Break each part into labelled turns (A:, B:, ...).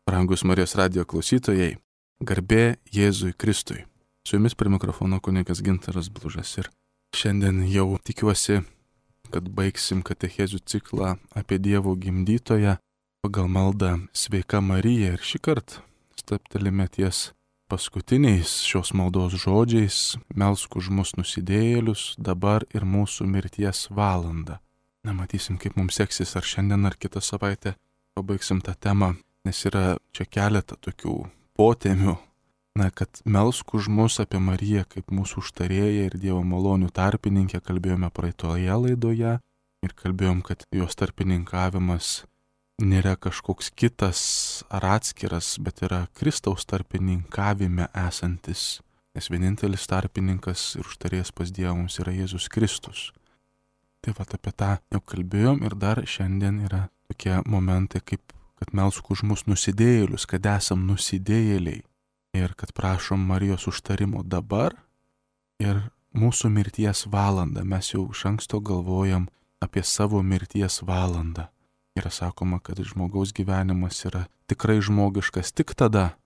A: Brangus Marijos radijo klausytojai, garbė Jėzui Kristui. Su jumis prie mikrofono kunigas Gintaras Blužas ir šiandien jau tikiuosi, kad baigsim katechezių ciklą apie Dievo gimdytoją pagal maldą Sveika Marija ir šį kartą stabtelime ties paskutiniais šios maldos žodžiais: melsk už mus nusidėjėlius dabar ir mūsų mirties valandą. Matysim, kaip mums seksis, ar šiandien, ar kitą savaitę pabaigsim tą temą, nes yra čia keletą tokių potemių. Kad melsk už mus apie Mariją kaip mūsų užtarėją ir Dievo malonių tarpininkę kalbėjome praeitoje laidoje ir kalbėjom, kad jos tarpininkavimas nėra kažkoks kitas ar atskiras, bet yra Kristaus tarpininkavime esantis, nes vienintelis tarpininkas ir užtarėjas pas Dievą mums yra Jėzus Kristus. Tai apie tą jau kalbėjom ir dar šiandien yra tokie momentai, kaip kad melsk už mus nusidėjėlius, kad esam nusidėjėliai ir kad prašom Marijos užtarimo dabar ir mūsų mirties valandą. Mes jau iš anksto galvojam apie savo mirties valandą. Yra sakoma, kad žmogaus gyvenimas yra tikrai žmogiškas tik tada,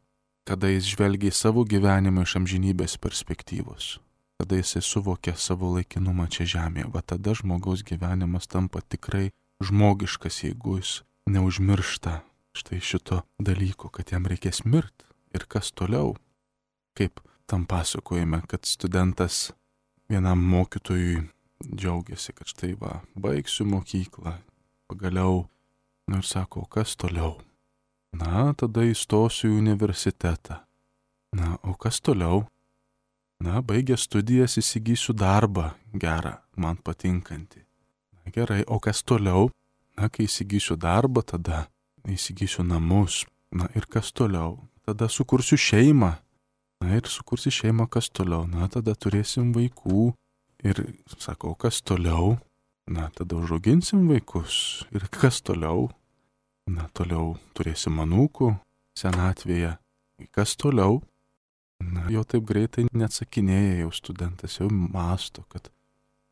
A: kada jis žvelgia į savo gyvenimą iš amžinybės perspektyvos, kada jisai suvokia savo laikinumą čia žemėje. Tada žmogaus gyvenimas tampa tikrai žmogiškas, jeigu jis neužmiršta štai šito dalyko, kad jam reikės mirti. Ir kas toliau? Kaip tam pasakojame, kad studentas vienam mokytojui džiaugiasi, kad štai baigsiu mokyklą, pagaliau. Ir sako, kas toliau? Tada įstosiu į universitetą. O kas toliau? Baigęs studijas įsigysiu darbą gerą, man patinkantį. Gerai, o kas toliau? Kai įsigysiu darbą, tada įsigysiu namus. Ir kas toliau? Tada sukursiu šeimą. Ir sukursi šeimą, kas toliau? Tada turėsim vaikų. Ir sako, kas toliau? Tada užauginsim vaikus. Ir kas toliau? Toliau turėsim anūkų senatvėje. Kas toliau? Jau taip greitai neatsakinėja jau studentas, jau mąsto, kad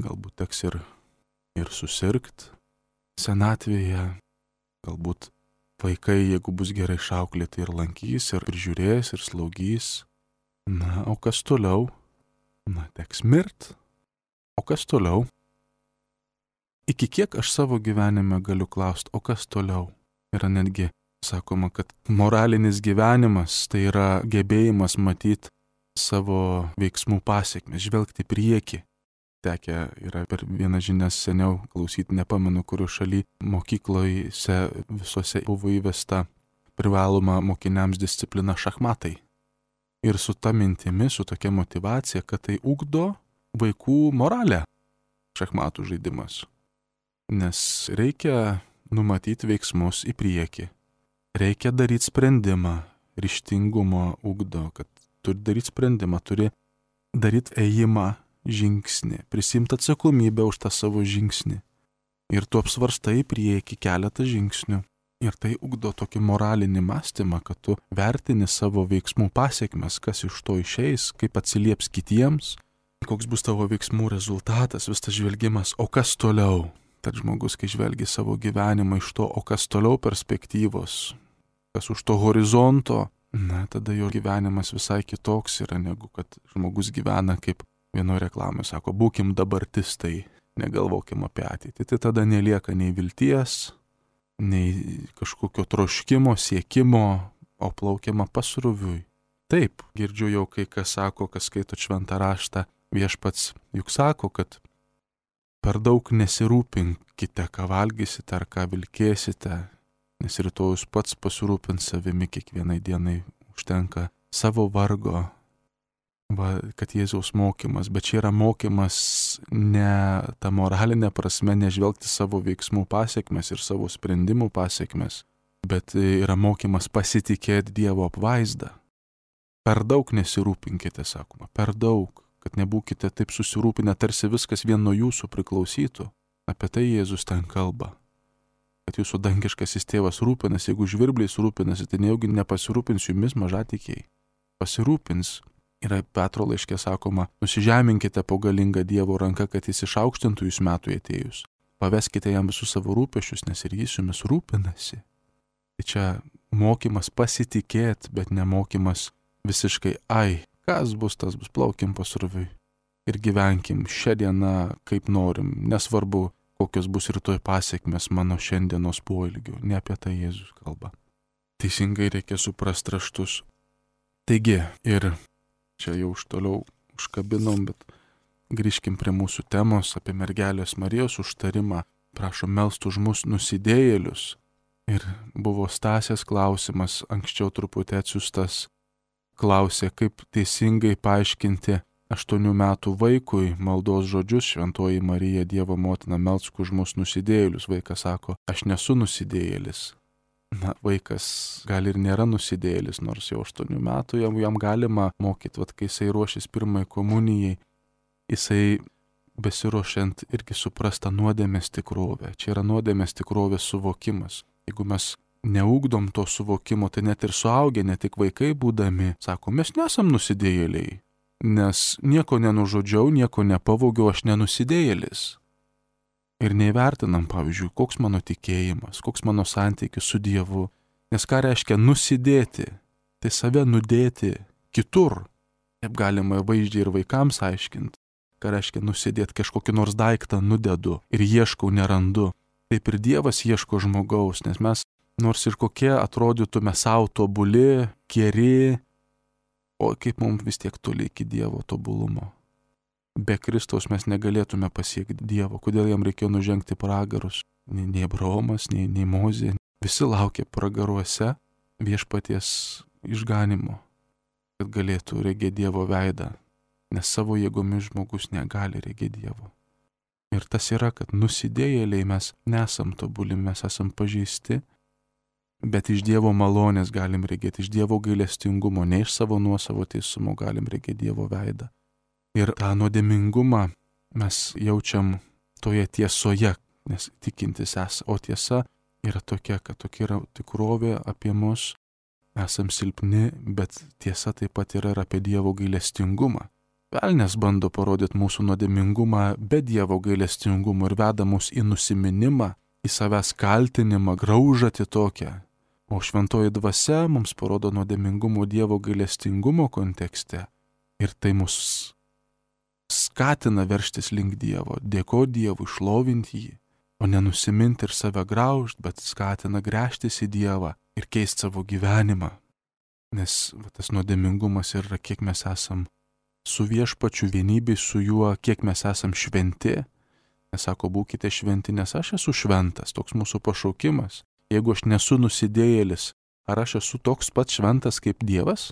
A: galbūt teks ir susirgt senatvėje. Galbūt vaikai, jeigu bus gerai išauklėti, ir lankys, ir prižiūrės, ir slaugys. O kas toliau? Teks mirt. O kas toliau? Iki kiek aš savo gyvenime galiu klausti, o kas toliau? Yra netgi sakoma, kad moralinis gyvenimas tai yra gebėjimas matyti savo veiksmų pasiekmes, žvelgti prieki. Tekę yra per vieną žinias seniau klausyti, nepamenu, kurio šaly mokyklose visose buvo įvesta privaloma mokiniams disciplina šachmatai. Ir su ta mintimi, su tokia motyvacija, kad tai ugdo vaikų moralę šachmatų žaidimas. Nes reikia numatyti veiksmus į priekį. Reikia daryti sprendimą, ryžtingumo ugdo, kad turi daryti sprendimą, turi daryti ėjimą, žingsnį, prisimti atsakomybę už tą savo žingsnį. Ir tu apsvarstai į priekį keletą žingsnių. Ir tai ugdo tokį moralinį mąstymą, kad tu vertini savo veiksmų pasiekmes, kas iš to išeis, kaip atsilieps kitiems, koks bus tavo veiksmų rezultatas, vis tas žvelgimas, o kas toliau. Tad žmogus, kai žvelgia savo gyvenimą iš to, o kas toliau perspektyvos, kas už to horizonto, tada jo gyvenimas visai kitoks yra, negu kad žmogus gyvena, kaip vienoje reklamoje sako, būkim dabartistai, negalvokim apie ateitį. Tai tada nelieka nei vilties, nei kažkokio troškimo, siekimo, o plaukiama pasroviui. Taip, girdžiu jau kai kas sako, kas skaito šventą raštą, viešpats juk sako, kad per daug nesirūpinkite, ką valgysite ar ką vilkėsite, nes rytojus pats pasirūpins savimi, kiekvienai dienai užtenka savo vargo. Kad Jėzaus mokymas, bet čia yra mokymas ne ta moralinė prasme, nežvelgti savo veiksmų pasiekmes ir savo sprendimų pasiekmes, bet yra mokymas pasitikėti Dievo apvaizdą. Per daug nesirūpinkite, sakoma, per daug. Kad nebūkite taip susirūpinę, tarsi viskas vien nuo jūsų priklausytų. Apie tai Jėzus ten kalba. Kad jūsų dangiškasis tėvas rūpinasi, jeigu žvirbliais rūpinasi, tai nejaugi nepasirūpins jumis mažatikiai. Pasirūpins. Yra Petro laiške sakoma, nusižeminkite po galingą Dievo ranką, kad jis išaukštintų jūs metui atėjus. Paveskite jam visus savo rūpesčius, nes ir jis jumis rūpinasi. Tai čia mokymas pasitikėti, bet nemokymas visiškai, kas bus, tas bus, plaukim pasroviui. Ir gyvenkim šią dieną kaip norim, nesvarbu, kokios bus rytoj pasiekmes mano šiandienos poelgių. Ne apie tai Jėzus kalba. Teisingai reikia suprasti raštus. Taigi, ir čia jau už toliau užkabinom, bet grįžkim prie mūsų temos apie mergelės Marijos užtarimą. Prašom melst už mus nusidėjėlius. Ir buvo Stasės klausimas, anksčiau truputį atsiųstas, klausė, kaip teisingai paaiškinti 8 metų vaikui maldos žodžius: Šventoji Marija, Dievo motina, melsk už mus nusidėjėlius. Vaikas sako, aš nesu nusidėjėlis. Na, vaikas gal ir nėra nusidėjėlis, nors jau 8 metų jam galima mokyti, kai jisai ruošis pirmai komunijai, jisai besiruošiant irgi suprasta nuodėmės tikrovę. Čia yra nuodėmės tikrovės suvokimas. Jeigu mes neugdom to suvokimo, tai net ir suaugę, ne tik vaikai būdami, sako, mes nesam nusidėjėliai, nes nieko nenužudžiau, nieko nepavogiau, aš nenusidėjėlis. Ir neįvertinam, pavyzdžiui, koks mano tikėjimas, koks mano santykis su Dievu. Nes ką reiškia nusidėti? Tai save nudėti kitur. Taip galima vaizdžiai ir vaikams aiškinti. Ką reiškia nusidėti, kažkokį nors daiktą nudedu ir ieškau, nerandu. Taip ir Dievas ieško žmogaus, nes mes, nors ir kokie atrodytume savo tobuli, geri, o kaip mums vis tiek toli iki Dievo tobulumo. Be Kristaus mes negalėtume pasiekti Dievo. Kodėl jam reikėjo nužengti pragarus? Nei Abraomas, nei Mozė. Visi laukė pragaruose viešpaties išganimo, kad galėtų regėti Dievo veidą. Nes savo jėgomis žmogus negali regėti Dievo. Ir tas yra, kad nusidėjėliai mes nesam tobuli, mes esam pažeisti, bet iš Dievo malonės galim regėti, iš Dievo gailestingumo, ne iš savo nuosavo teisumo galim regėti Dievo veidą. Ir tą nuodėmingumą mes jaučiam toje tiesoje, nes tikintis esame, o tiesa yra tokia, kad tokia yra tikrovė apie mus, esam silpni, bet tiesa taip pat yra ir apie Dievo gailestingumą. Velnias bando parodyti mūsų nuodėmingumą be Dievo gailestingumo ir veda mus į nusiminimą, į savęs kaltinimą, graužatį tokią. O šventoji dvasia mums parodo nuodėmingumo Dievo gailestingumo kontekste. Ir tai mus skatina verštis link Dievo, dėkoti Dievui, šlovinti jį, o nenusiminti ir save graužti, bet skatina gręžtis į Dievą ir keisti savo gyvenimą. Nes tas nuodėmingumas yra, kiek mes esam su viešpačiu vienybėj su juo, kiek mes esam šventi. Nes sako, būkite šventi, nes aš esu šventas, toks mūsų pašaukimas. Jeigu aš nesu nusidėjėlis, ar aš esu toks pat šventas kaip Dievas?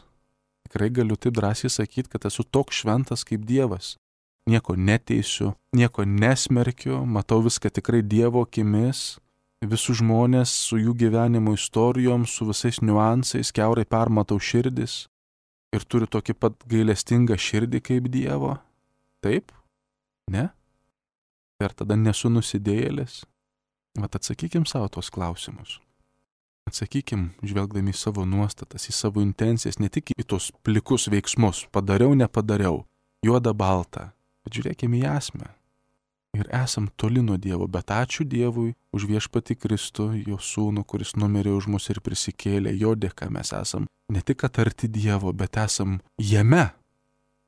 A: Tikrai galiu taip drąsiai sakyti, kad esu toks šventas kaip Dievas. Nieko neteisiu, nieko nesmerkiu, matau viską tikrai Dievo akimis, visus žmonės su jų gyvenimo istorijom, su visais niuansais, kiaurai permatau širdis ir turiu tokį pat gailestingą širdį kaip Dievo. Taip? Ne? Ir tada nesu nusidėjėlis? Vat atsakykim savo tos klausimus. Atsakykim, žvelgdami į savo nuostatas, į savo intencijas, ne tik į tos plikus veiksmus, padariau, nepadariau, juoda balta. Bet žiūrėkime į esmę. Ir esam toli nuo Dievo, bet ačiū Dievui už viešpatį Kristų, jo sūnų, kuris numirė už mus ir prisikėlė, jo dėka mes esam ne tik arti Dievo, bet esam jame.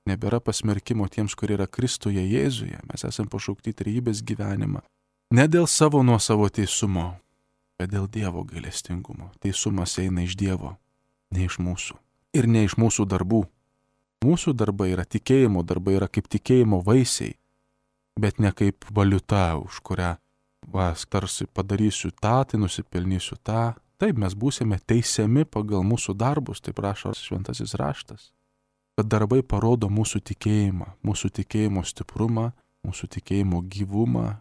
A: Nebėra pasmerkimo tiems, kurie yra Kristuje Jėzuje. Mes esam pašaukti trejybės gyvenimą. Ne dėl savo nuosavo teisumo, bet dėl Dievo gailestingumo. Teisumas eina iš Dievo, ne iš mūsų. Ir ne iš mūsų darbų. Mūsų darbai yra tikėjimo darbai, yra kaip tikėjimo vaisiai, bet ne kaip valiuta, už kurią tarsi padarysiu tą, tai nusipelnysiu tą. Taip, mes būsime teisiami pagal mūsų darbus, taip rašo šventasis raštas. Bet darbai parodo mūsų tikėjimo stiprumą, mūsų tikėjimo gyvumą,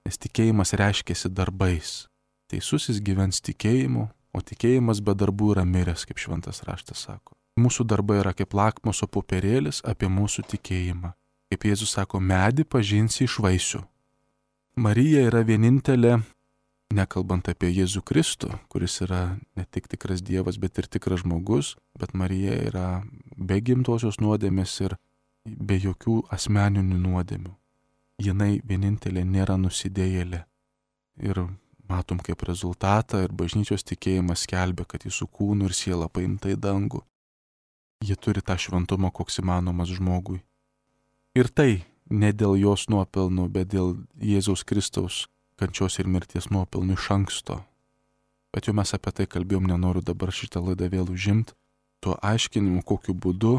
A: nes tikėjimas reiškiasi darbais. Teisusis gyvens tikėjimu, o tikėjimas be darbų yra miręs, kaip šventas raštas sako. Mūsų darbai yra kaip lakmuso popierėlis apie mūsų tikėjimą. Kaip Jėzus sako, medį pažinsi iš vaisių. Marija yra vienintelė, nekalbant apie Jėzų Kristų, kuris yra ne tik tikras Dievas, bet ir tikras žmogus, bet Marija yra be gimtosios nuodėmės ir be jokių asmeninių nuodėmių. Jinai vienintelė nėra nusidėjėlė. Ir matom kaip rezultatą ir bažnyčios tikėjimas skelbia, kad jis su kūnu ir siela paimta į dangų. Ji turi tą šventumą, koks įmanomas žmogui. Ir tai ne dėl jos nuopelnų, bet dėl Jėzaus Kristaus kančios ir mirties nuopelnų iš anksto. Bet jau mes apie tai kalbėjom, nenoriu dabar šitą laidą vėl užimti, tuo aiškinimu, kokiu būdu,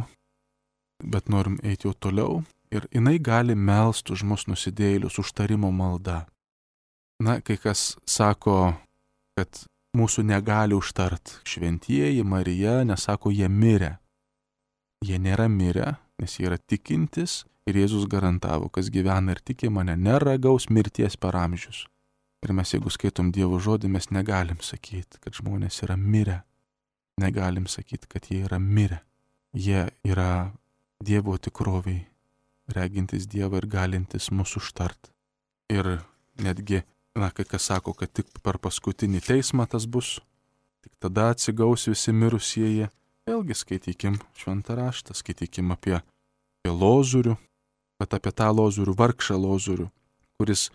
A: bet norim eiti jau toliau. Ir jinai gali melst už mus nusidėjėlius užtarimo malda. Na, kai kas sako, kad mūsų negali užtart šventieji, Marija, nes sako, jie mirė. Jie nėra mirę, nes jie yra tikintis ir Jėzus garantavo, kas gyvena ir tiki mane, neragaus mirties per amžius. Ir mes, jeigu skaitom Dievo žodį, mes negalim sakyti, kad žmonės yra mirę. Negalim sakyti, kad jie yra mirę. Jie yra Dievo tikroviai, regintis Dievą ir galintis mūsų užtart. Ir netgi, kai kas sako, kad tik per paskutinį teismą tas bus, tik tada atsigaus visi mirusieji. Vėlgi skaitykim šventą raštą, skaitykim apie Lozorių, bet apie tą Lozorių, vargšą Lozorių, kuris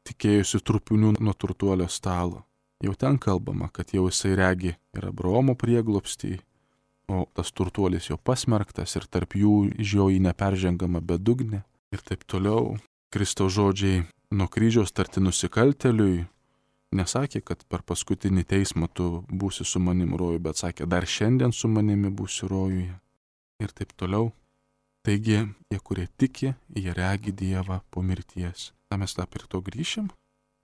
A: tikėjusi trupinių nuo turtuolio stalo. Jau ten kalbama, kad jau jisai regi ir Abraomo prieglobstį, o tas turtuolis jau pasmerktas ir tarp jų iš jo į neperžengamą bedugnę ir taip toliau. Kristaus žodžiai nuo kryžiaus tarti nusikaltėliui nesakė, kad per paskutinį teismą tu būsi su manim rojuje, bet sakė, dar šiandien su manimi būsi rojuje ir taip toliau. Taigi, jie, kurie tiki, jie regi Dievą po mirties. Na, mes dar prie to grįšim.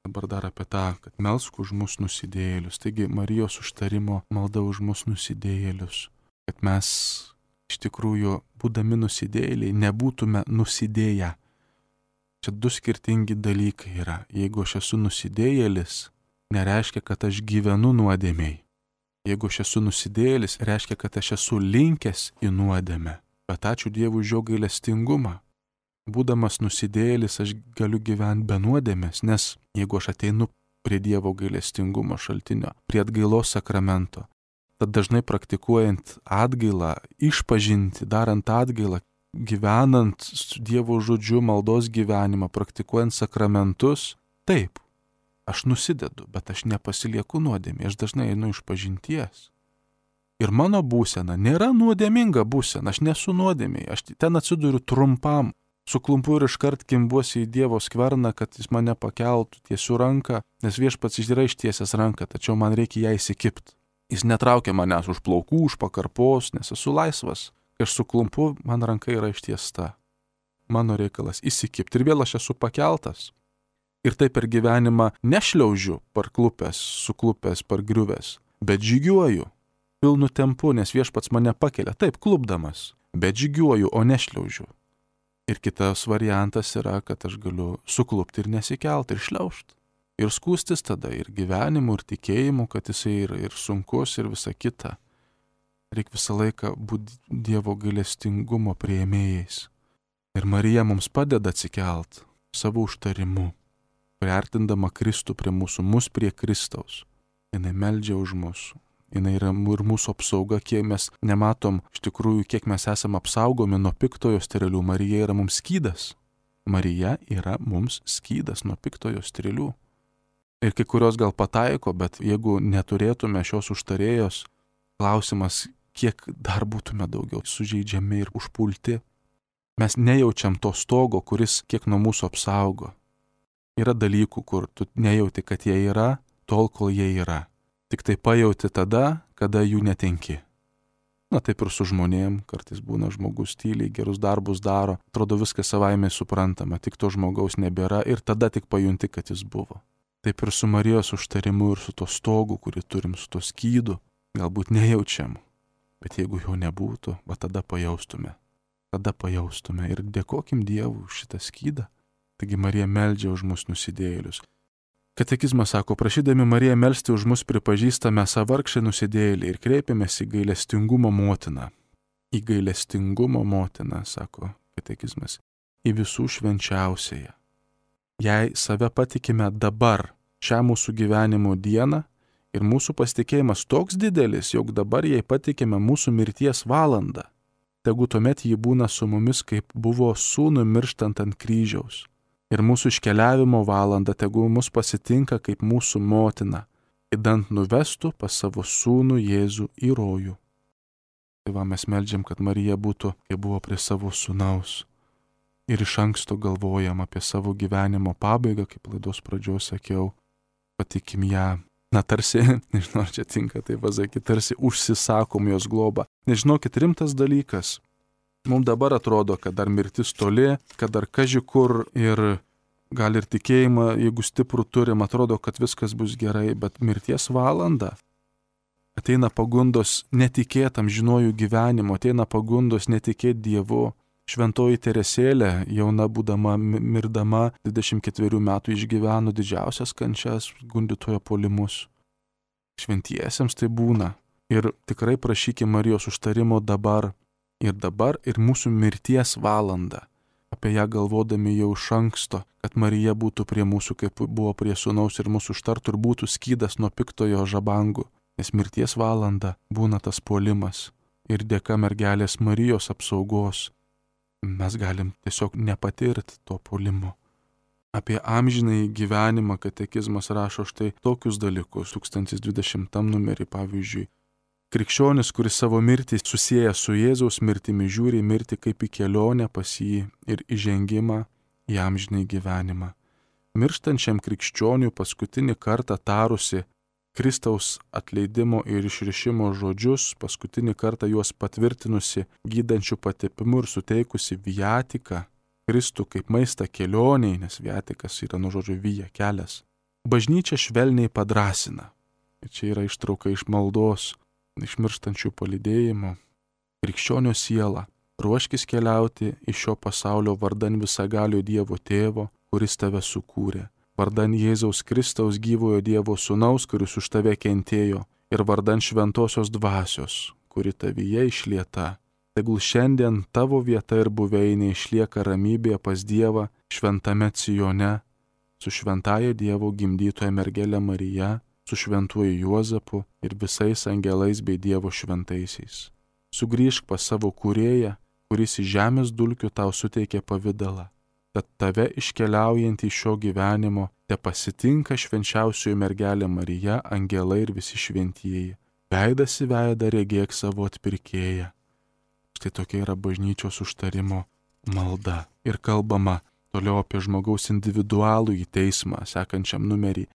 A: Dabar dar apie tą, kad melsk už mus nusidėjėlius. Taigi, Marijos užtarimo malda už mus nusidėjėlius. Kad mes iš tikrųjų, būdami nusidėjėliai, nebūtume nusidėję. Čia du skirtingi dalykai yra. Jeigu aš esu nusidėjėlis, nereiškia, kad aš gyvenu nuodėmėj. Jeigu aš esu nusidėjėlis, reiškia, kad aš esu linkęs į nuodėmę. Bet ačiū Dievui už jo gailestingumą. Būdamas nusidėjėlis, aš galiu gyventi be nuodėmės, nes jeigu aš ateinu prie Dievo gailestingumo šaltinio, prie atgailos sakramento, tad dažnai praktikuojant atgailą, išpažinti, darant atgailą, gyvenant su Dievo žodžiu, maldos gyvenimą, praktikuojant sakramentus, taip, aš nusidedu, bet aš nepasilieku nuodėmė, aš dažnai einu iš pažinties. Ir mano būsena nėra nuodėminga būsena, aš nesu nuodėmėj, aš ten atsiduriu trumpam, suklumpu ir iškart kimbuosi į Dievo skverną, kad jis mane pakeltų, tiesiu ranką, nes viešpats yra ištiesęs ranką, tačiau man reikia ją įsikibti. Jis netraukia manęs už plaukų, už pakarpos, nes esu laisvas. Kai aš suklumpu, man ranka yra ištiesta. Mano reikalas įsikibti ir vėl aš esu pakeltas. Ir taip per gyvenimą nešliaužiu parklupęs, suklupęs, pargriuvęs, bet žygiuoju. Pilnu tempu, nes viešpats mane pakelia, taip klupdamas, bet žygiuoju, o nešliaužiu. Ir kitas variantas yra, kad aš galiu suklupti ir nesikelti ir šliaužti. Ir skūstis tada ir gyvenimu, ir tikėjimu, kad jisai ir sunkus, ir visa kita. Reikia visą laiką būti Dievo gailestingumo priėmėjais. Ir Marija mums padeda atsikelt savo užtarimu, priartindama Kristų prie mūsų, mus prie Kristaus. Jinai meldžia už mūsų. Jinai yra ir mūsų apsauga, kiek mes nematom, iš tikrųjų, kiek mes esame apsaugomi nuo piktojo strėlių. Marija yra mums skydas. Marija yra mums skydas nuo piktojo strėlių. Ir kai kurios gal pataiko, bet jeigu neturėtume šios užtarėjos, klausimas, kiek dar būtume daugiau sužeidžiami ir užpulti. Mes nejaučiam to stogo, kuris kiek nuo mūsų apsaugo. Yra dalykų, kur tu nejauti, kad jie yra, tol, kol jie yra. Tik tai pajauti tada, kada jų netenki. Na taip ir su žmonėm, kartais būna žmogus tyliai, gerus darbus daro, atrodo viskas savaime suprantama, tik to žmogaus nebėra ir tada tik pajunti, kad jis buvo. Taip ir su Marijos užtarimu ir su to stogu, kurį turim, su to skydu, galbūt nejaučiam, bet jeigu jo nebūtų, va tada pajaustume. Tada pajaustume ir dėkokim Dievui už šitą skydą. Taigi Marija meldžia už mus nusidėjėlius. Katekizmas sako, prašydami Mariją melsti už mus pripažįstame savargšę nusidėjėlį ir kreipiamės į gailestingumo motiną. Į gailestingumo motiną, sako katekizmas, į visų švenčiausiąją. Jei save patikime dabar, šią mūsų gyvenimo dieną, ir mūsų pasitikėjimas toks didelis, jog dabar jai patikime mūsų mirties valandą, tegu tuomet ji būna su mumis, kaip buvo sūnui mirštant ant kryžiaus. Ir mūsų iškeliavimo valanda tegu mus pasitinka kaip mūsų motina, idant nuvestų pas savo sūnų Jėzų į rojų. Tai va, mes meldžiam, kad Marija būtų, kaip buvo prie savo sūnaus. Ir iš anksto galvojam apie savo gyvenimo pabaigą, kaip laidos pradžioje sakiau, patikim ją. Na tarsi, nežinau, ar čia tinka tai pasakyti, tarsi užsisakom jos globą. Nežinokit, rimtas dalykas. Mums dabar atrodo, kad dar mirtis toli, kad dar kaži kur ir gal ir tikėjimą, jeigu stiprų turim, atrodo, kad viskas bus gerai, bet mirties valanda. Ateina pagundos netikėtam žinojų gyvenimo, ateina pagundos netikėti Dievu. Šventoji Teresėlė, jauna būdama, mirdama, 24 metų išgyveno didžiausias kančias, gundytojo puolimus. Šventiesiems tai būna. Ir tikrai prašykime Marijos užtarimo dabar ir mūsų mirties valandą. Apie ją galvodami jau iš anksto, kad Marija būtų prie mūsų, kaip buvo prie sūnaus ir mūsų užtartų ir būtų skydas nuo piktojo žabangų. Nes mirties valanda būna tas puolimas. Ir dėka mergelės Marijos apsaugos mes galim tiesiog nepatirti to puolimo. Apie amžinąjį gyvenimą katekizmas rašo štai tokius dalykus, 1020 numerį pavyzdžiui. Krikščionis, kuris savo mirtį susieja su Jėzaus mirtimi, žiūri mirtį kaip į kelionę pas jį ir įžengimą į amžinąjį gyvenimą. Mirštančiam krikščioniui paskutinį kartą tarusi Kristaus atleidimo ir išrišimo žodžius, paskutinį kartą juos patvirtinusi gydančių patepimu ir suteikusi viatiką, Kristų kaip maistą kelioniai, nes viatikas yra nuo žodžio vija, kelias. Bažnyčia švelniai padrasina. Ir čia yra ištrauka iš maldos, iš mirštančių palydėjimo. Krikščionio siela, ruoškis keliauti iš šio pasaulio vardan visagalio Dievo Tėvo, kuris tave sukūrė. Vardan Jėzaus Kristaus gyvojo Dievo sūnaus, kuris už tave kentėjo, ir vardan šventosios dvasios, kuri tavyje išlieta. Tegul šiandien tavo vieta ir buveinė išlieka ramybėje pas Dievą šventame Cijone, su šventaja Dievo gimdytoja mergelė Marija, su šventuoju Juozapu ir visais angelais bei Dievo šventaisiais. Sugrįžk pas savo kūrėją, kuris iš žemės dulkių tau suteikė pavidalą. Kad tave iškeliaujant iš šio gyvenimo te pasitinka švenčiausioji mergelė Marija, angelai ir visi šventieji. Veidas į veidą regėk savo atpirkėją. Štai tokia yra bažnyčios užtarimo malda. Ir kalbama toliau apie žmogaus individualų į teismą, sekančiam numerį.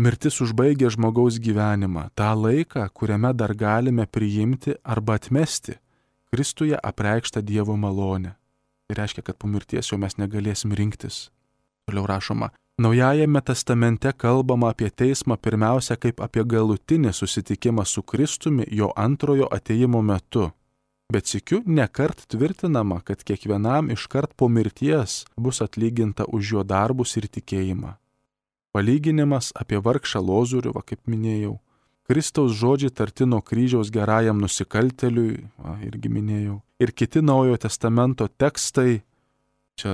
A: Mirtis užbaigia žmogaus gyvenimą, tą laiką, kuriame dar galime priimti arba atmesti Kristuje apreikštą Dievo malonę. Tai reiškia, kad po mirties jau mes negalėsim rinktis. Toliau rašoma, Naujajame testamente kalbama apie teismą pirmiausia kaip apie galutinį susitikimą su Kristumi jo antrojo atėjimo metu. Bet sykiu nekart tvirtinama, kad kiekvienam iškart po mirties bus atlyginta už jo darbus ir tikėjimą. Palyginimas apie vargšą Lozorių, kaip minėjau, Kristaus žodžiai tarti nuo kryžiaus gerajam nusikaltėliui, irgi minėjau, ir kiti Naujojo testamento tekstai, čia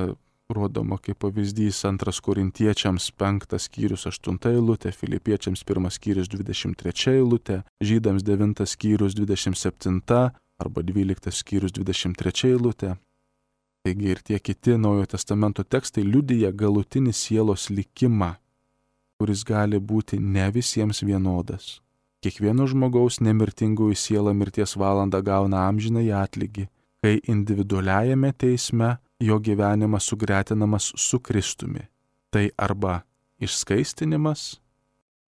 A: rodoma kaip pavyzdys 2 Korintiečiams 5 skyrius 8 eilutė, Filipiečiams 1 skyrius 23 eilutė, Žydams 9 skyrius 27 arba 12 skyrius 23 eilutė. Taigi ir tie kiti Naujojo testamento tekstai liudija galutinį sielos likimą, kuris gali būti ne visiems vienodas. Kiekvieno žmogaus nemirtingųjų siela mirties valandą gauna amžinąjį atlygį, kai individualiajame teisme jo gyvenimas sugretinamas su Kristumi. Tai arba išskaistinimas,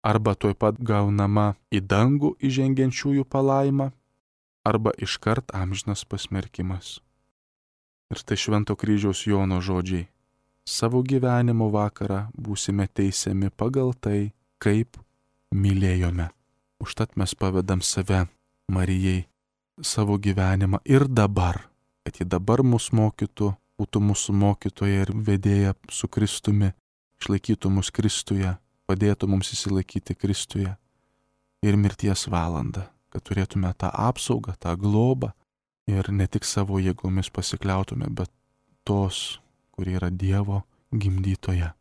A: arba tuoj pat gaunama į dangų įžengiančiųjų palaima, arba iškart amžinas pasmerkimas. Ir tai Švento kryžiaus Jono žodžiai. Savo gyvenimo vakarą būsime teisiami pagal tai, kaip mylėjome. Užtat mes pavedam save Marijai, savo gyvenimą ir dabar, kad ji dabar mus mokytų, būtų mūsų mokytoja ir vedėja su Kristumi, išlaikytų mus Kristuje, padėtų mums įsilaikyti Kristuje ir mirties valandą, kad turėtume tą apsaugą, tą globą ir ne tik savo jėgomis pasikliautume, bet tos, kurie yra Dievo gimdytoja.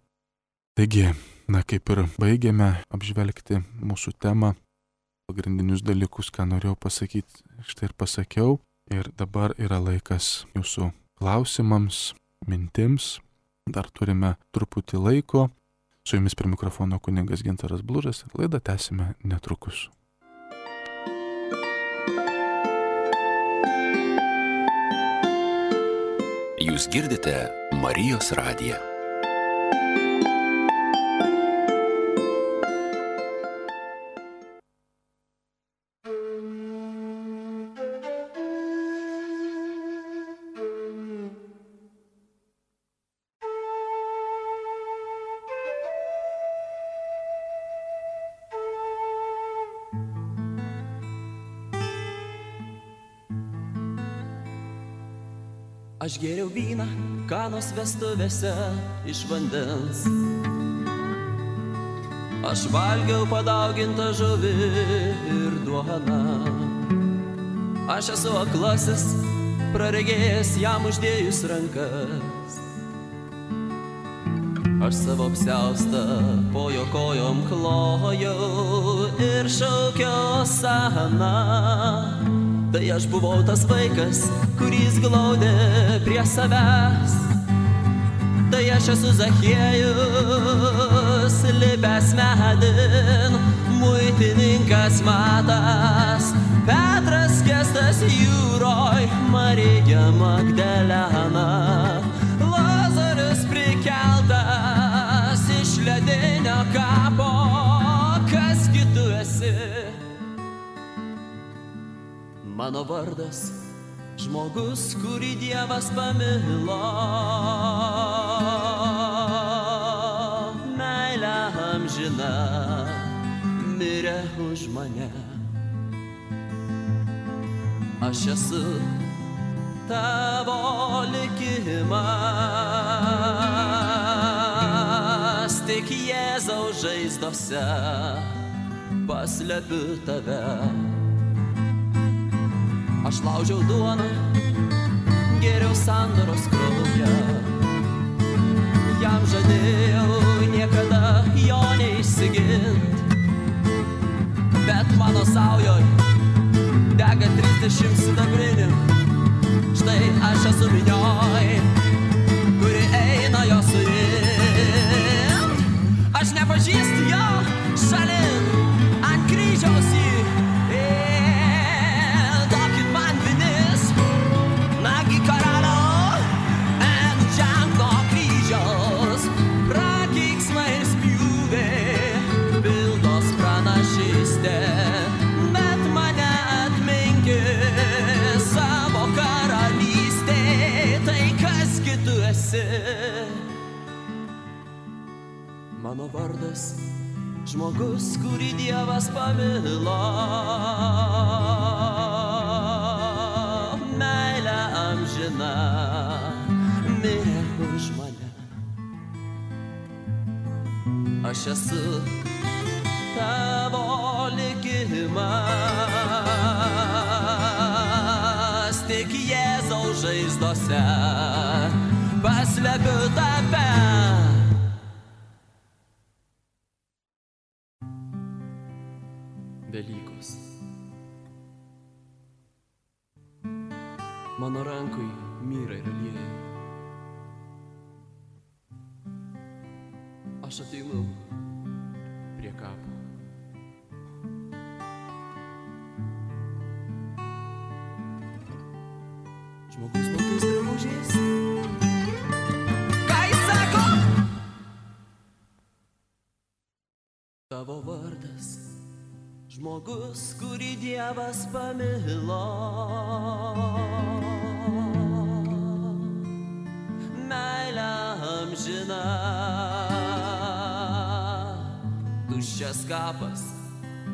A: Taigi, kaip ir baigėme apžvelgti mūsų temą, pagrindinius dalykus, ką norėjau pasakyti, štai ir pasakiau. Ir dabar yra laikas jūsų klausimams, mintims. dar turime truputį laiko. Su jumis prie mikrofono kunigas Gintaras Blužas ir laidą tęsime netrukus.
B: Jūs girdite Marijos radiją.
C: Aš gėriau vyną Kanos vestuvėse iš vandens. Aš valgiau padaugintą žuvį ir duoną. Aš esu aklasis, praregėjęs jam uždėjus rankas. Aš savo apsiaustą po jo kojom klojau ir šaukiau Osana. Tai aš buvau tas vaikas, kuris glaudė prie savęs. Tai aš esu Zachiejus, lipęs medin, muitininkas Matas, Petras skęstas jūroj, Marija Magdalena, Lazarus prikeltas iš ledinio kapo. Kas gi tu esi? Mano vardas, žmogus, kurį Dievas pamilo. Meilė amžina, mirė už mane. Aš esu tavo likimas, tik Jėzaus žaizdose paslepiu tave. Aš laužiau duoną, gėriau sandoros kraują. Jam žadėjau niekada jo neišsigint, bet mano saujoj dega 30 sidabrinių. Štai aš esu minioj, kuri eina jo suimt. Aš nepažįstu jo šalin, ant kryžiaus jį. Mano vardas, žmogus, kurį Dievas pamilo. Meilė amžina, mirė už mane. Aš esu tavo likimas, tik Jėzaus žaizdose paslepiu tave. Velykos. Mano rankui myra ir aliejai. Aš ateinu prie kapo. Žmogus baltais drabužiais. Ką jis sako? Tavo vardas, žmogus, kurį Dievas pamilo. Meilė amžina, tuščias kapas,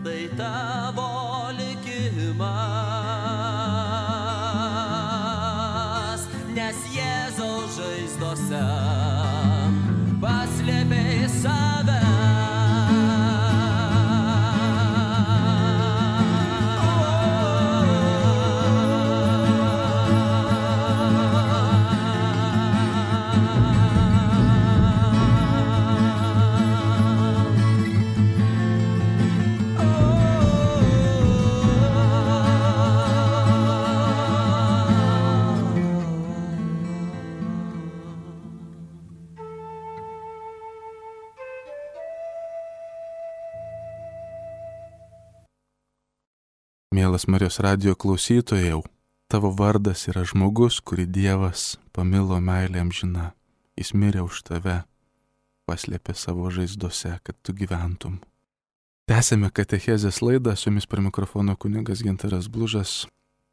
C: tai tavo likimas, nes Jėzaus žaizdose paslėpei save.
A: Mielas Marijos radijo klausytojau, tavo vardas yra žmogus, kurį Dievas pamilo meilė amžina. Jis mirė už tave, paslėpė savo žaizdose, kad tu gyventum. Tęsėme katechezės laidą, su jumis prie mikrofono kunigas Gintaras Blužas.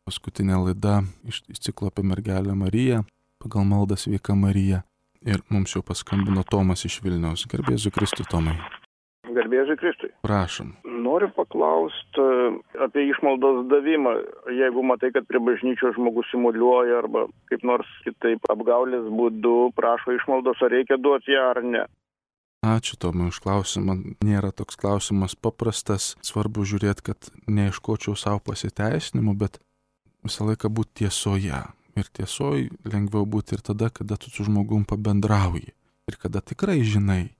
A: Paskutinė laida iš ciklo apie mergelę Mariją, pagal maldą Sveika Marija. Ir mums jau paskambino Tomas iš Vilniaus. Garbė Jėzui Kristui, Tomai.
D: Garbė Jėzui Kristui.
A: Prašom.
D: Noriu paklausti apie išmaldos davimą. Jeigu matai, kad prie bažnyčios žmogus simuliuoja arba kaip nors kitaip apgaulės būdu prašo išmaldos, ar reikia duoti ją ar ne.
A: Ačiū Tomai už klausimą. Nėra toks klausimas paprastas. Svarbu žiūrėti, kad neieškočiau savo pasiteisinimų, bet visą laiką būti tiesoje. Ir tiesoj lengviau būti ir tada, kada tu su žmogum pabendrauji. Ir kada tikrai žinai.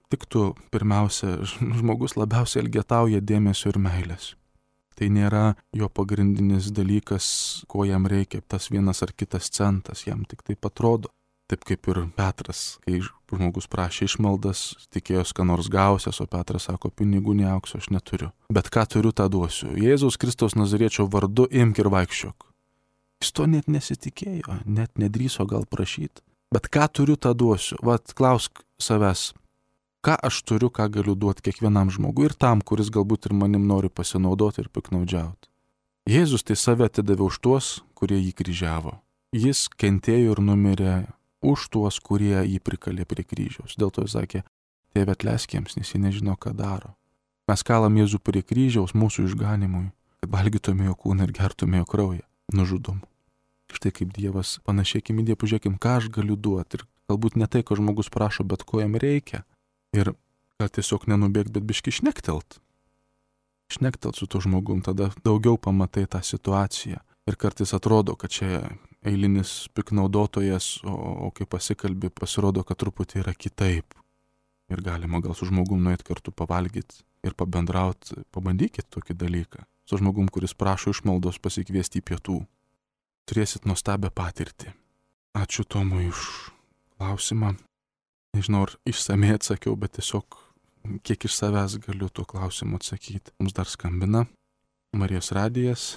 A: Tik tu pirmiausia, žmogus labiausiai elgetauja dėmesio ir meilės. Tai nėra jo pagrindinis dalykas, ko jam reikia, tas vienas ar kitas centas, jam tik taip atrodo. Taip kaip ir Petras, kai žmogus prašė išmaldas, tikėjos, ką nors gausias, o Petras sako, pinigų nei aukso aš neturiu. Bet ką turiu, tą duosiu. Jėzaus Kristaus Nazariečio vardu imk ir vaikščiok. Jis to net nesitikėjo, net nedrįso gal prašyti. Bet ką turiu, tą duosiu. Vat klausk savęs. Ką aš turiu, ką galiu duoti kiekvienam žmogui ir tam, kuris galbūt ir manim nori pasinaudoti ir piknaudžiauti. Jėzus tai save atidavė už tuos, kurie jį kryžiavo. Jis kentėjo ir numirė už tuos, kurie jį prikalė prie kryžiaus. Dėl to jis sakė, Tėve atleisk jiems, nes jie nežino, ką daro. Mes kalam Jėzų prie kryžiaus mūsų išganimui, kad valgytume jo kūną ir gertume jo kraują. Nužudom. Štai kaip Dievas, panašėkim į Dievą, pažiūrėkim, ką aš galiu duoti. Ir galbūt ne tai, ko žmogus prašo, bet ko jam reikia. Ir gal tiesiog nenubėgt, bet biški šnektelt. Šnektelt su to žmogum, tada daugiau pamatai tą situaciją. Ir kartais atrodo, kad čia eilinis piknaudotojas, o kai pasikalbi, pasirodo, kad truputį yra kitaip. Ir galima gal su žmogum nueit kartu pavalgyti ir pabendrauti. Pabandykit tokį dalyką. Su žmogum, kuris prašo išmaldos, pasikviesti į pietų. Turėsit nuostabią patirtį. Ačiū Tomui už klausimą. Nežinau, ar išsamei atsakiau, bet tiesiog kiek iš savęs galiu tuo klausimu atsakyti. Mums dar skambina Marijos radijas.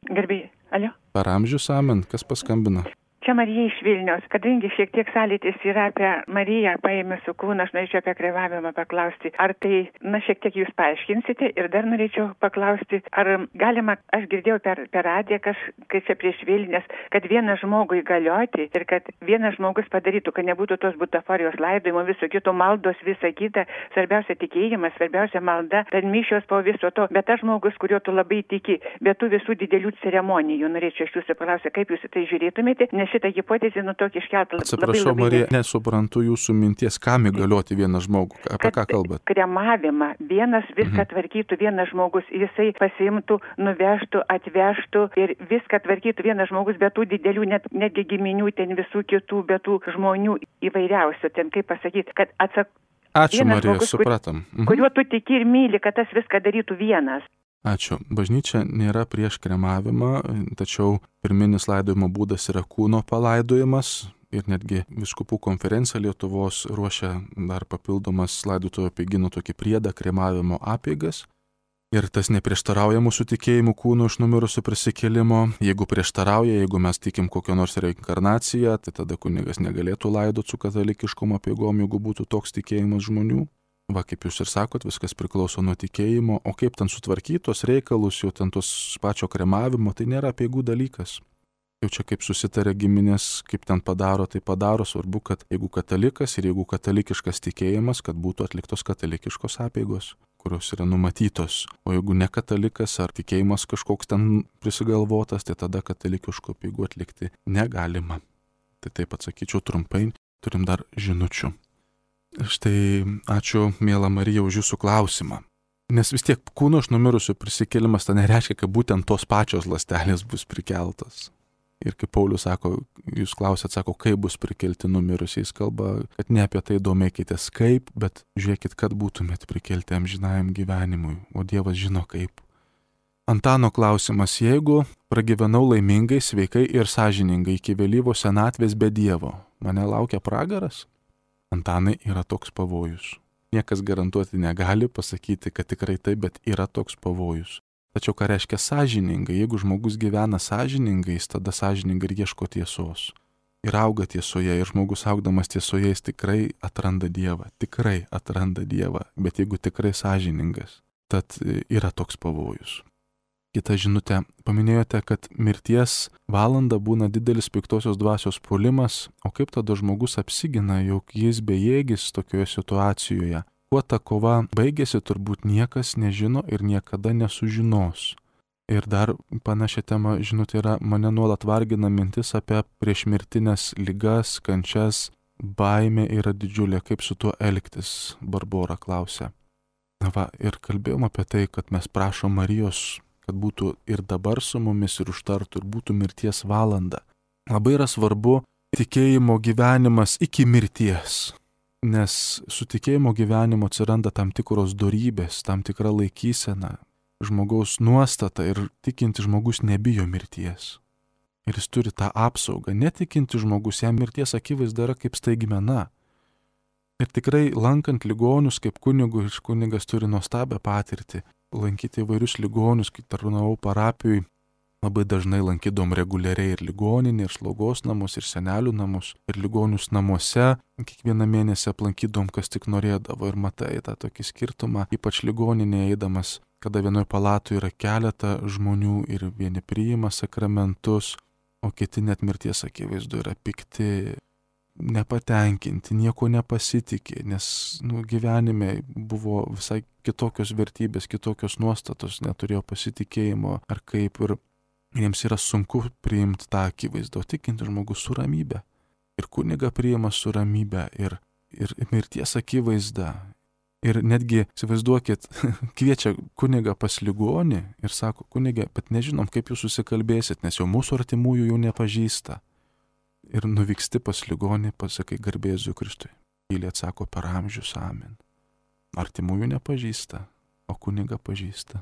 E: Garbė, alio?
A: Per amžius amen. Kas paskambina?
E: Čia Marija iš Vilniaus. Kadangi šiek tiek sąlytis yra apie Mariją paėmė su kūną, aš norėčiau apie kremavimą paklausti. Ar tai, šiek tiek jūs paaiškinsite ir dar norėčiau paklausti, ar galima, aš girdėjau per radiją, kai čia prieš Vilnius, kad vieną žmogų įgalioti ir kad vienas žmogus padarytų, kad nebūtų tos butaforijos laidojimo, viso kito maldos, visa kita, svarbiausia tikėjimas, svarbiausia malda, tad mišios po viso to, bet tas žmogus, kurio tu labai tiki, bet tų visų didelių ceremonijų, norėčiau iš jūsų paklausyti, kaip jūs tai žiūrėtumėte, nes šitą hipotezę tokį iškeltą labai.
A: Atsiprašau, Marija, nesuprantu jūsų minties, kam įgalioti vieną žmogų, apie ką kalbat?
E: Kremavimą, vienas viską tvarkytų vienas žmogus, jisai pasiimtų, nuvežtų, atvežtų ir viską tvarkytų vienas žmogus, bet tų didelių, netgi giminių, ten visų kitų, bet tų žmonių įvairiausių, ten kaip pasakyti, kad
A: Ačiū, Marija,
E: žmogus,
A: supratom.
E: Kuriuo tu tiki ir myli, kad tas viską darytų vienas.
A: Ačiū. Bažnyčia nėra prieš kremavimą, tačiau pirminis laidojimo būdas yra kūno palaidojimas ir netgi vyskupų konferencija Lietuvos ruošia dar papildomas laidotuvių apeigynų tokį priedą kremavimo apeigas. Ir tas neprieštarauja mūsų tikėjimu kūno iš numirusių prisikėlimo. Jeigu prieštarauja, jeigu mes tikim kokią nors reinkarnaciją, tai tada kunigas negalėtų laidoti su katalikiškom apeigom, jeigu būtų toks tikėjimas žmonių. Va, kaip jūs ir sakot, viskas priklauso nuo tikėjimo, o kaip ten sutvarkytos reikalus, jau ten tos pačio kremavimo, tai nėra apeigų dalykas. Jau čia kaip susitarė giminės, kaip ten padaro, tai padaro, svarbu, kad jeigu katalikas ir jeigu katalikiškas tikėjimas, kad būtų atliktos katalikiškos apeigos, kurios yra numatytos. O jeigu ne katalikas ar tikėjimas kažkoks ten prisigalvotas, tai tada katalikiškų apeigų atlikti negalima. Tai taip atsakyčiau trumpai, turim dar žinučių. Štai ačiū, miela Marija, už jūsų klausimą. Nes vis tiek kūno iš numirusių prisikėlimas tai nereiškia, kad būtent tos pačios ląstelės bus prikeltos. Ir kaip Paulius sako, jūs klausėt, sako, kaip bus prikelti numirusiais, kalba, kad ne apie tai domėkitės kaip, bet žiūrėkit, kad būtumėt prikelti amžinajam gyvenimui, o Dievas žino kaip. Antano klausimas, jeigu pragyvenau laimingai, sveikai ir sąžiningai iki vėlyvos senatvės be Dievo, mane laukia pragaras? Antanai, yra toks pavojus. Niekas garantuoti negali pasakyti, kad tikrai taip, bet yra toks pavojus. Tačiau ką reiškia sąžiningai? Jeigu žmogus gyvena sąžiningai, jis tada sąžiningai ir ieško tiesos. Ir auga tiesoje, ir žmogus augdamas tiesoje, jis tikrai atranda Dievą. Tikrai atranda Dievą, bet jeigu tikrai sąžiningas, tad yra toks pavojus. Kita žinutė. Paminėjote, kad mirties valanda būna didelis piktosios dvasios puolimas, o kaip tada žmogus apsigina, jog jis bejėgis tokioje situacijoje. Kuo ta kova baigėsi, turbūt niekas nežino ir niekada nesužinos. Ir dar panašia tema, žinutė, yra, mane nuolat vargina mintis apie priešmirtinės ligas, kančias, baimė yra didžiulė, kaip su tuo elgtis, Barbora klausia. Va, ir kalbėjom apie tai, kad mes prašom Marijos, kad būtų ir dabar su mumis ir užtartų, ir būtų mirties valanda. Labai yra svarbu tikėjimo gyvenimas iki mirties, nes su tikėjimo gyvenimu atsiranda tam tikros dorybės, tam tikra laikysena, žmogaus nuostata ir tikinti žmogus nebijo mirties. Ir jis turi tą apsaugą. Netikinti žmogus, jam mirties akivaizda yra kaip staigmena. Ir tikrai lankant ligonius kaip kunigas turi nuostabią patirtį. Lankyti įvairius ligonius, kai tarnavau parapijoj, labai dažnai lankydom reguliariai ir ligoninį, ir slaugos namus, ir senelių namus, ir ligonius namuose. Kiekvieną mėnesį aplankydom, kas tik norėdavo, ir matai tą tokį skirtumą, ypač ligoninėje eidamas, kada vienoje palatoje yra keletą žmonių ir vieni priima sakramentus, o kiti net mirties akivaizdu yra pikti, nepatenkinti, nieko nepasitikė, nes gyvenime buvo visai kitokios vertybės, kitokios nuostatos, neturėjo pasitikėjimo ar kaip, ir jiems yra sunku priimti tą akivaizdą, o tikinti žmogus su ramybė. Ir kuniga priima su ramybė, ir mirties akivaizda. Ir netgi, įsivaizduokit, kviečia kunigą pas ligonį ir sako, kunigė, bet nežinom, kaip jūs susikalbėsit, nes jau mūsų artimųjų jau nepažįsta. Ir nuvyksti pas ligonį, pasakai garbė Jėzui Kristui. Tyliai atsako per amžius amen. Artimųjų nepažįsta, o kunigą pažįsta.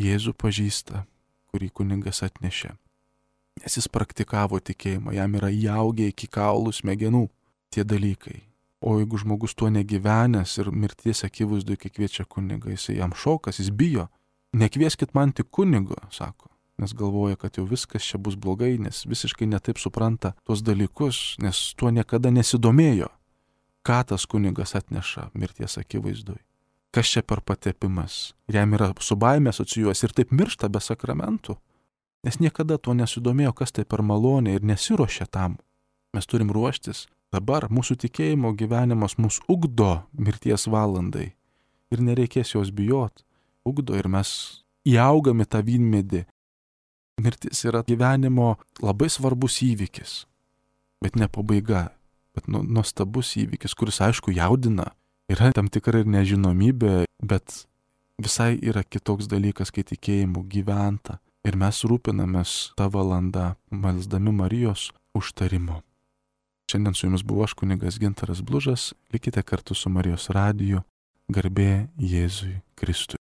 A: Jėzų pažįsta, kurį kunigas atnešė. Nes jis praktikavo tikėjimą, jam yra įaugę iki kaulų smegenų tie dalykai. O jeigu žmogus tuo negyvenęs ir mirties akivaizdu, kai kviečia kunigą, jis jam šokas, jis bijo. Nekvieskit man tik kunigo, sako. Nes galvoja, kad jau viskas čia bus blogai, nes visiškai netaip supranta tos dalykus, nes tuo niekada nesidomėjo, ką tas kunigas atneša mirties akivaizdui. Kas čia per patepimas. Ir jam yra su baime asocijuos ir taip miršta be sakramentų, nes niekada tuo nesidomėjo, kas tai per malonė ir nesiruošia tam. Mes turim ruoštis. Dabar mūsų tikėjimo gyvenimas mus ugdo mirties valandai ir nereikės jos bijot. Ugdo ir mes įaugame tą vynmedį. Mirtis yra gyvenimo labai svarbus įvykis, bet ne pabaiga, bet nuostabus įvykis, kuris aišku jaudina. Yra tam tikra ir nežinomybė, bet visai yra kitoks dalykas, kai tikėjimu gyventa. Ir mes rūpinamės tą valandą, melsdami Marijos užtarimo. Šiandien su jumis buvo aš, kunigas Gintaras Blužas. Likite kartu su Marijos radiju. Garbė Jėzui Kristui.